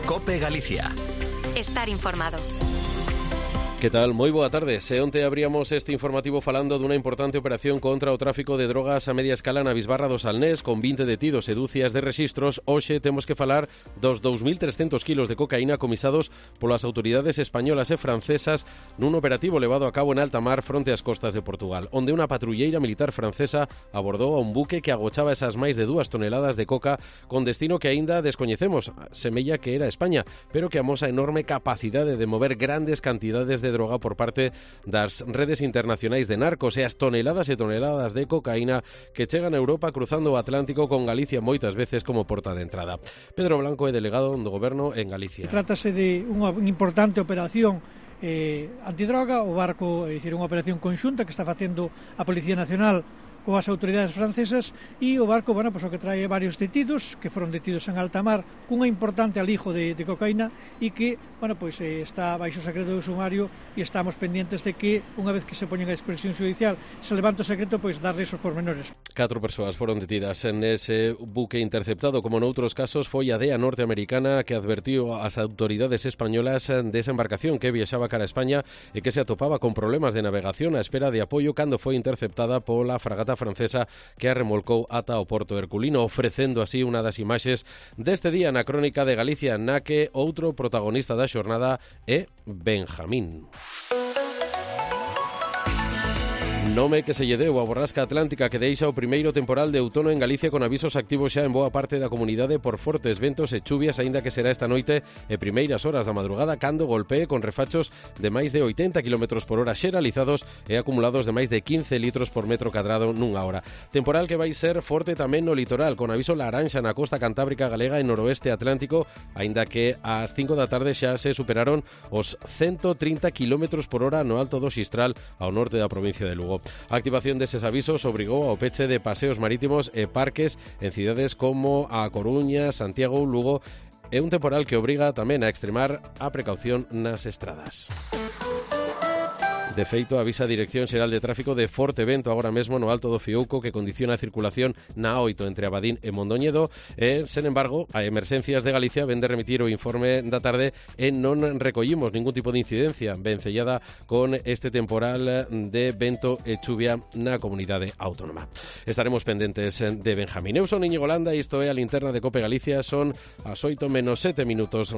COPE Galicia. Estar informado. Que tal? Moi boa tarde. Se onte abríamos este informativo falando dunha importante operación contra o tráfico de drogas a media escala na Bisbarra do Salnés, con 20 detidos e dúcias de rexistros. Hoxe temos que falar dos 2.300 kilos de cocaína comisados polas autoridades españolas e francesas nun operativo levado a cabo en alta mar fronte ás costas de Portugal, onde unha patrulleira militar francesa abordou a un buque que agochaba esas máis de 2 toneladas de coca con destino que aínda descoñecemos. Semella que era España, pero que amosa enorme capacidade de mover grandes cantidades de droga por parte das redes internacionais de narcos e as toneladas e toneladas de cocaína que chegan a Europa cruzando o Atlántico, con Galicia moitas veces como porta de entrada. Pedro Blanco é delegado do Goberno en Galicia. Trátase de unha importante operación antidroga. O barco, é dicir, unha operación conxunta que está facendo a Policía Nacional coas autoridades francesas, e o barco, bueno, pues o que trae varios detidos que foron detidos en alta mar cunha importante alijo de cocaína e que, bueno, pues está baixo secreto do sumario, e estamos pendientes de que unha vez que se poñen a disposición judicial se levanta o secreto, pois darles os pormenores. 4 persoas foron detidas en ese buque interceptado, como noutros casos foi a DEA norteamericana que advertiu ás autoridades españolas desa embarcación que viaxaba cara a España e que se atopaba con problemas de navegación á espera de apoio cando foi interceptada pola fragata francesa que a remolcou ata o porto herculino, ofrecendo así unha das imaxes deste día na crónica de Galicia, na que outro protagonista da xornada é Benjamín. Nome que se lle deu a borrasca atlántica que deixa o primeiro temporal de outono en Galicia, con avisos activos xa en boa parte da comunidade por fortes ventos e chuvias, aínda que será esta noite e primeiras horas da madrugada cando golpee con refachos de máis de 80 km por hora xeralizados e acumulados de máis de 15 litros por metro cadrado nunha hora. Temporal que vai ser forte tamén no litoral, con aviso laranxa na costa cantábrica galega e noroeste atlántico, aínda que ás 5 da tarde xa se superaron os 130 km por hora no alto do Xistral ao norte da provincia de Lugo. A activación deses avisos obrigou ao peche de paseos marítimos e parques en cidades como A Coruña, Santiago ou Lugo, e un temporal que obriga tamén a extremar a precaución nas estradas. De feito, avisa a Dirección Xeral de Tráfico de forte vento agora mesmo no alto do Fiouco, que condiciona a circulación na A8 entre Abadín e Mondoñedo. Sen embargo, a Emerxencias de Galicia ven de remitir o informe da tarde e non recollimos ningún tipo de incidencia vencellada con este temporal de vento e chuvia na comunidade autónoma. Estaremos pendentes de Benjamín. Eu son Íñigo Landa e isto é a linterna de COPE Galicia. Son as 8:07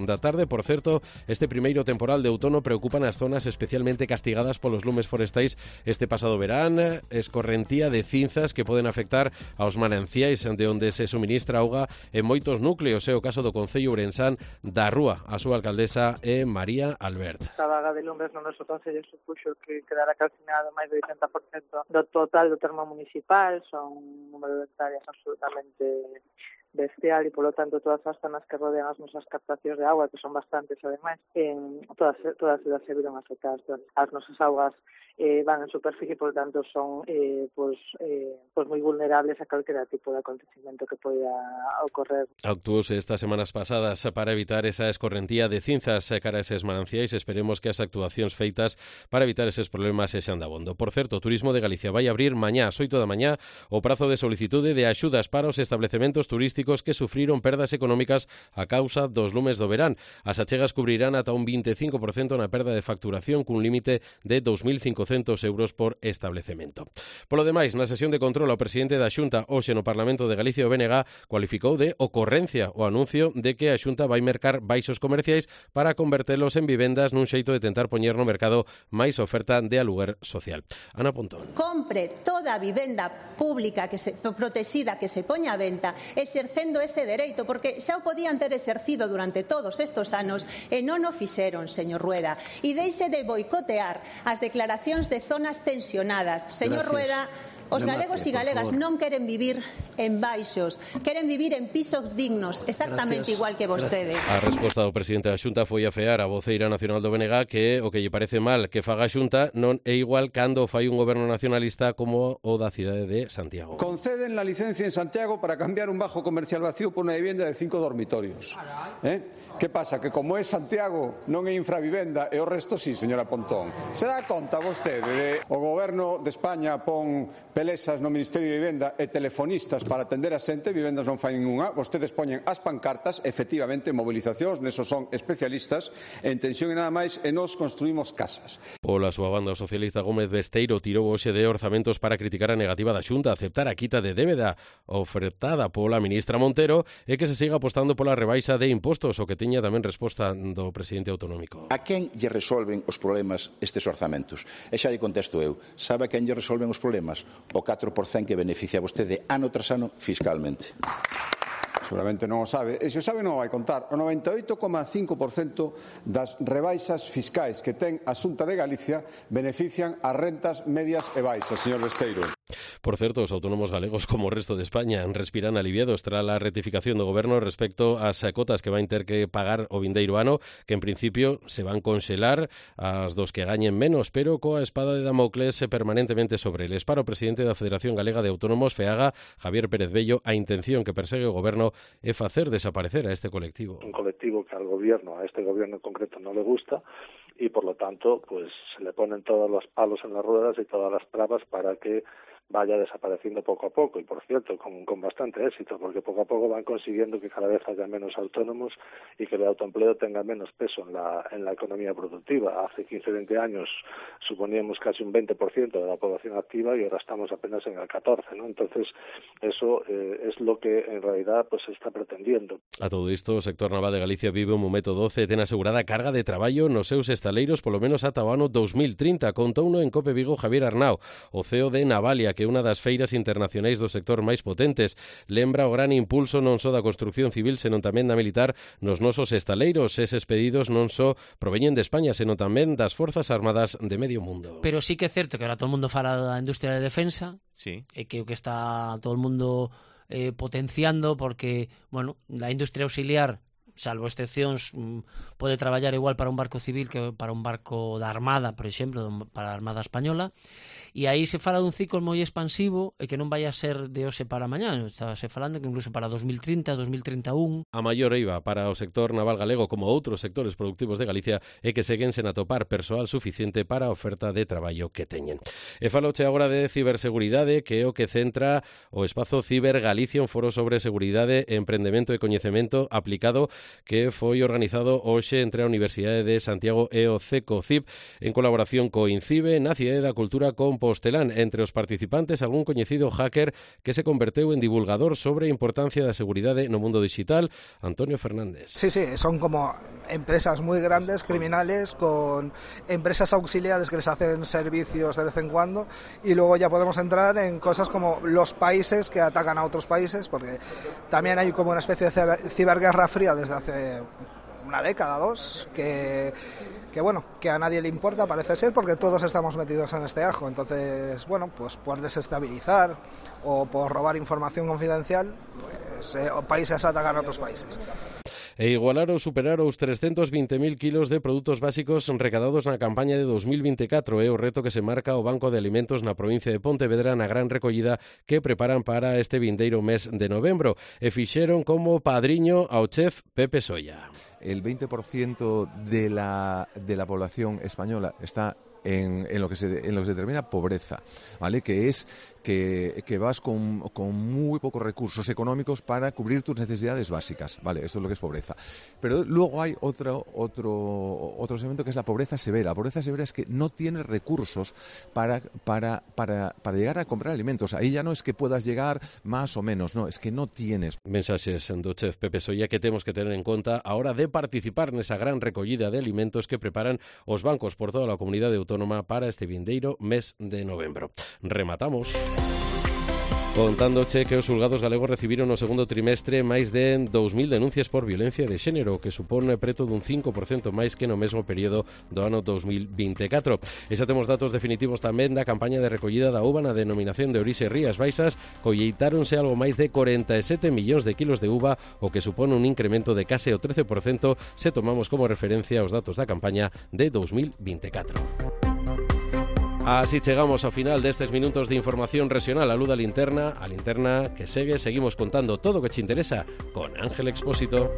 da tarde. Por certo, este primeiro temporal de outono preocupa nas zonas especialmente castigadas polos lumes forestais este pasado verán, escorrentía de cinzas que poden afectar aos mananciais de onde se suministra auga en moitos núcleos. É o caso do concello ourensán da Rúa. A súa alcaldesa é María Albert. A vaga de lumes no noso concello supuxo que quedara calcinado máis do 80% do total do termo municipal. Son un número de hectáreas absolutamente bestial e, polo tanto, todas as zonas que rodean as nosas captacións de agua, que son bastantes, ademais, todas elas se viron afectadas. As nosas augas van en superficie, polo tanto, son moi vulnerables a calquera tipo de acontecimento que poida ocorrer. Actuouse estas semanas pasadas para evitar esa escorrentía de cinzas cara a eses mananciais. Esperemos que as actuacións feitas para evitar eses problemas sexan dabondo. Por certo, Turismo de Galicia vai abrir mañá ás 8 da mañá o prazo de solicitude de axudas para os establecementos turísticos que sufriron perdas económicas a causa dos lumes do verán. As achegas cubrirán ata un 25% na perda de facturación, cun límite de 2.500 euros por establecemento. Polo demais, na sesión de control, o presidente da Xunta hoxe no Parlamento de Galicia, o BNG, cualificou de ocorrencia o anuncio de que a Xunta vai mercar baixos comerciais para convertelos en vivendas nun xeito de tentar poñer no mercado máis oferta de aluguer social. Ana Pontón. Compre toda a vivenda pública protexida que se poña a venta, exercendo ese dereito, porque xa o podían ter exercido durante todos estes anos e non o fixeron, señor Rueda. E deixe de boicotear as declaracións de zonas tensionadas. Señor Rueda, os galegos e galegas non queren vivir en baixos, queren vivir en pisos dignos, exactamente igual que vostede. A resposta do presidente da Xunta foi afear a voceira nacional do BNG que o que lle parece mal que faga a Xunta non é igual cando fai un goberno nacionalista como o da cidade de Santiago. Conceden la licencia en Santiago para cambiar un bajo comercial vacío por unha vivienda de 5 dormitorios. Que pasa? Que como é Santiago non é infravivenda e o resto sí, señora Pontón. Se dá conta vostede de o goberno de España pon pelesas no Ministerio de Vivenda e telefonistas para atender a xente, Vivendas non fai ninguna, vostedes poñen as pancartas, efectivamente, mobilizacións, nesos son especialistas, en tensión e nada máis, e nos construímos casas. Pola súa banda, o socialista Gómez Besteiro tirou hoxe de orzamentos para criticar a negativa da Xunta a aceptar a quita de débeda ofertada pola ministra Montero e que se siga apostando pola rebaixa de impostos, o que teña tamén resposta do presidente autonómico. A quen lle resolven os problemas estes orzamentos? E xa lle contesto eu. Sabe a quen lle resolven os problemas? O 4% que beneficia a vostede ano tras ano fiscalmente. Seguramente non o sabe. E se o sabe non o vai contar. O 98,5% das rebaixas fiscais que ten a Xunta de Galicia benefician as rentas medias e baixas, señor Besteiro. Por certo, os autónomos galegos, como o resto de España, respiran aliviados tras a rectificación do Goberno respecto ás cotas que vai ter que pagar o vindeiro ano, que en principio se van conxelar as dos que gañen menos, pero coa espada de Damocles permanentemente sobre eles. Para o presidente da Federación Galega de Autónomos, FEAGA, Javier Pérez Bello, a intención que persegue o Goberno é facer desaparecer a este colectivo. Un colectivo que al gobierno, a este gobierno en concreto, no le gusta y por lo tanto pues se le ponen todos los palos en las ruedas y todas las trabas para que vaya desapareciendo poco a poco y, por cierto, con bastante éxito, porque poco a poco van consiguiendo que cada vez haya menos autónomos y que el autoempleo tenga menos peso en la economía productiva. Hace 15 o 20 años suponíamos casi un 20% de la población activa y ahora estamos apenas en el 14%, ¿no? Entonces, eso es lo que en realidad pues se está pretendiendo. A todo isto, o sector naval de Galicia vive un momento 12 ten asegurada carga de traballo nos seus estaleiros polo menos ata o ano 2030, contouno en Cope Vigo Javier Arnao, o CEO de Navalia, que é unha das feiras internacionais do sector máis potentes. Lembra o gran impulso non só da construción civil, senón tamén da militar nos nosos estaleiros. Eses pedidos non só proveñen de España, senón tamén das Forzas Armadas de medio mundo. Pero sí que é certo que ahora todo o mundo fala da industria de defensa, sí, e que o que está todo o mundo potenciando, porque, bueno, a industria auxiliar, salvo excepcións, pode traballar igual para un barco civil que para un barco da Armada, por exemplo, para a Armada Española, e aí se fala dun ciclo moi expansivo e que non vai a ser de hoxe para mañá, está se falando que incluso para 2030, 2031. A maior eiva para o sector naval galego como outros sectores productivos de Galicia é que seguen sen atopar persoal suficiente para a oferta de traballo que teñen. E faloche agora de ciberseguridade, que é o que centra o espazo Ciber Galicia, un foro sobre seguridade, emprendemento e coñecemento aplicado que foi organizado hoxe entre a Universidade de Santiago e o CECOCIB en colaboración co INCIBE na Cidade da Cultura Compostelán. Entre os participantes, algún coñecido hacker que se converteu en divulgador sobre a importancia da seguridade no mundo digital, Antonio Fernández. Sí, son como empresas muy grandes, criminales, con empresas auxiliares que les hacen servicios de vez en cuando, y luego ya podemos entrar en cosas como los países que atacan a otros países, porque también hay como una especie de ciberguerra fría desde hace una década, dos, que bueno, que a nadie le importa, parece ser, porque todos estamos metidos en este ajo. Entonces, bueno, pues por desestabilizar o por robar información confidencial, pues países atacan a otros países. E igualar ou superar os 320.000 kilos de produtos básicos recadados na campaña de 2024 é o reto que se marca o Banco de Alimentos na provincia de Pontevedra na gran recollida que preparan para este vindeiro mes de novembro, e fixeron como padriño ao chef Pepe Solla. El 20% de la población española está en lo que se determina pobreza, ¿vale? Que es que vas con muy pocos recursos económicos para cubrir tus necesidades básicas, ¿vale? Esto es lo que es pobreza. Pero luego hay otro segmento que es la pobreza severa. La pobreza severa es que no tienes recursos para llegar a comprar alimentos. Ahí ya no es que puedas llegar más o menos, no, es que no tienes. Mensaxes do chef Pepe Solla que temos que tener en conta a hora de participar nesa gran recollida de alimentos que preparan os bancos por toda a comunidade autónoma para este vindeiro mes de novembro. Rematamos contándoche que os xulgados galegos recibiron no segundo trimestre máis de 2.000 denuncias por violencia de xénero, que supón preto dun 5% máis que no mesmo período do ano 2024. E xa temos datos definitivos tamén da campaña de recollida da uva na denominación de orixe Rías Baixas. Colleitáronse algo máis de 47 millóns de kilos de uva, o que supón un incremento de case o 13% se tomamos como referencia os datos da campaña de 2024. Así chegamos ao final destes minutos de información regional. A linterna que seguimos contando todo o que te interesa con Ángel Expósito.